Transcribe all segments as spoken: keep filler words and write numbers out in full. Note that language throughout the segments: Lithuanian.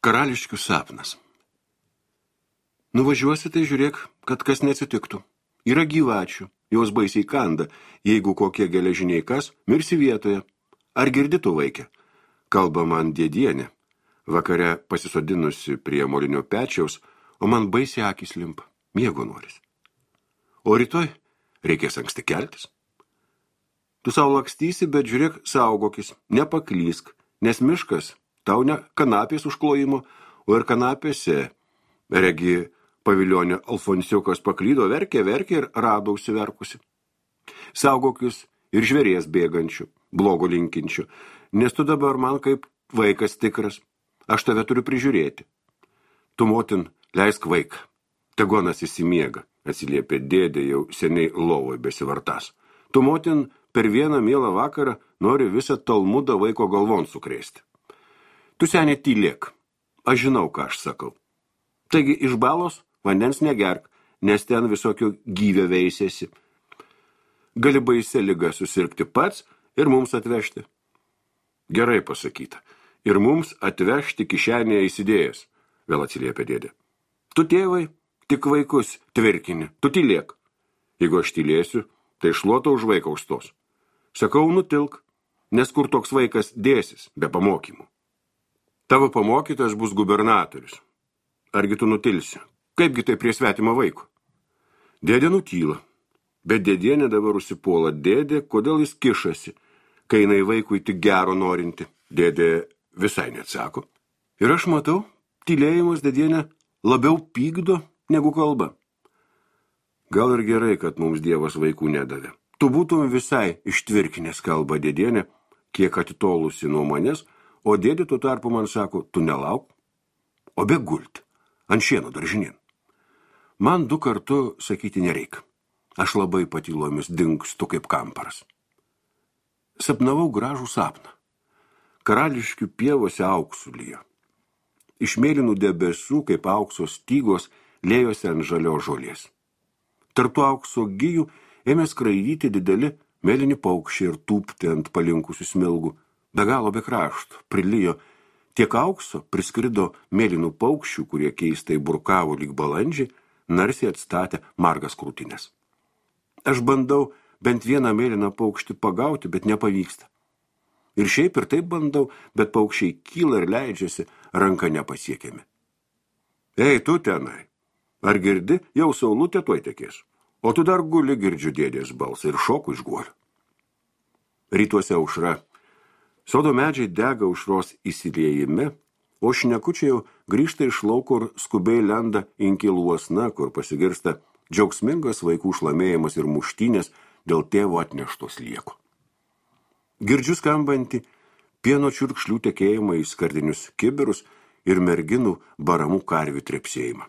Karališkių sapnas. Nuvažiuosi, tai žiūrėk, kad kas neatsitiktų. Yra gyvačių, jos baisiai kanda, jeigu kokie geležiniai kas, mirsi vietoje. Ar girdi tu, vaikė? Kalba man dėdienė, vakare pasisodinusi prie molinio pečiaus, o man baisiai akys limpa, miego noris. O rytoj reikės anksti keltis. Tu savo lakstysi, bet žiūrėk, saugokis, nepaklysk, nes miškas tau ne kanapės užklojimo, o ir kanapėse, regi, paviljonė Alfonsiukas paklydo, verkė, verkė ir rado užsiverkusi. Saugokis ir žvėries bėgančių, blogo linkinčių, nes tu dabar man kaip vaikas tikras, aš tave turiu prižiūrėti. Tu, motin, leisk vaiką, tegonas įsimiega, atsiliepė dėdė jau seniai lovoje besivartas. Tu, motin, per vieną mielą vakarą nori visą talmudą vaiko galvon sukrėsti. Tu, senė, tylėk, aš žinau, ką aš sakau. Taigi iš balos vandens negerk, nes ten visokio gyvio veisėsi. Gali baisę ligą susirgti pats ir mums atvežti. Gerai pasakyta. Ir mums atvežti kišenėje įsidėjęs, vėl atsiliepė dėdė. Tu, tėvai, tik vaikus tvirkini, tu tylėk. Jeigu aš tylėsiu, tai šluota už vaiką užstos. Sakau, nutilk, nes kur toks vaikas dėsis be pamokymų. Tavo pamokytas bus gubernatorius. Argi tu nutilsi? Kaipgi tai prie svetimo vaiko? Dėdė nutyla, bet dėdienė dabar užsipuola. Dėdė, kodėl jis kišasi, kai jinai vaikui tik gero norinti? Dėdė visai neatsako. Ir aš matau, tylėjimas dėdienė labiau pykdo negu kalba. Gal ir gerai, kad mums Dievas vaikų nedavė. Tu būtum visai ištvirkinės, kalba dėdienė, kiek atitolusi nuo manęs, o dėdė tuo tarpu man sako, tu nelauk, o be gulti, ant šieno daržinien. Man du kartu sakyti nereik. Aš labai patylomis dingstu kaip kamparas. Sapnavau gražų sapną. Karališkių pievose auksų lijo. Iš mėlynų debesų, kaip aukso stygos, lėjosi ant žalio žolės. Tarp tų aukso gijų ėmė skraidyti dideli mėlyni paukščiai ir tūpti ant palinkusių smilgų. Be galo be krašto, prilijo. Tiek aukso priskrido mėlynų paukščių, kurie keistai burkavo lyg balandžiai, narsiai atstatė margas krūtinės. Aš bandau bent vieną mėlyną paukštį pagauti, bet nepavyksta. Ir šiaip ir taip bandau, bet paukščiai kyla ir leidžiasi, ranka nepasiekiami. Ei, tu tenai, ar girdi, jau saulutė tuoj tekės, o tu dar guli, girdžiu dėdės balsą ir šoku iš guolio. Rytuose aušra. Sodo medžiai dega aušros įsiliejime, o šnekučiai jau grįžta iš lauko ir skubiai lenda inkilų uosna, kur pasigirsta džiaugsmingas vaikų šlamėjimas ir muštynės dėl tėvo atneštos lieko. Girdžiu skambantį pieno čiurkšlių tekėjimą į skardinius kibirus ir merginų baramų karvių trepsėjimą.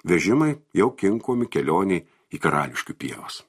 Vežimai jau kinkomi kelioniai į Karališkių pievas.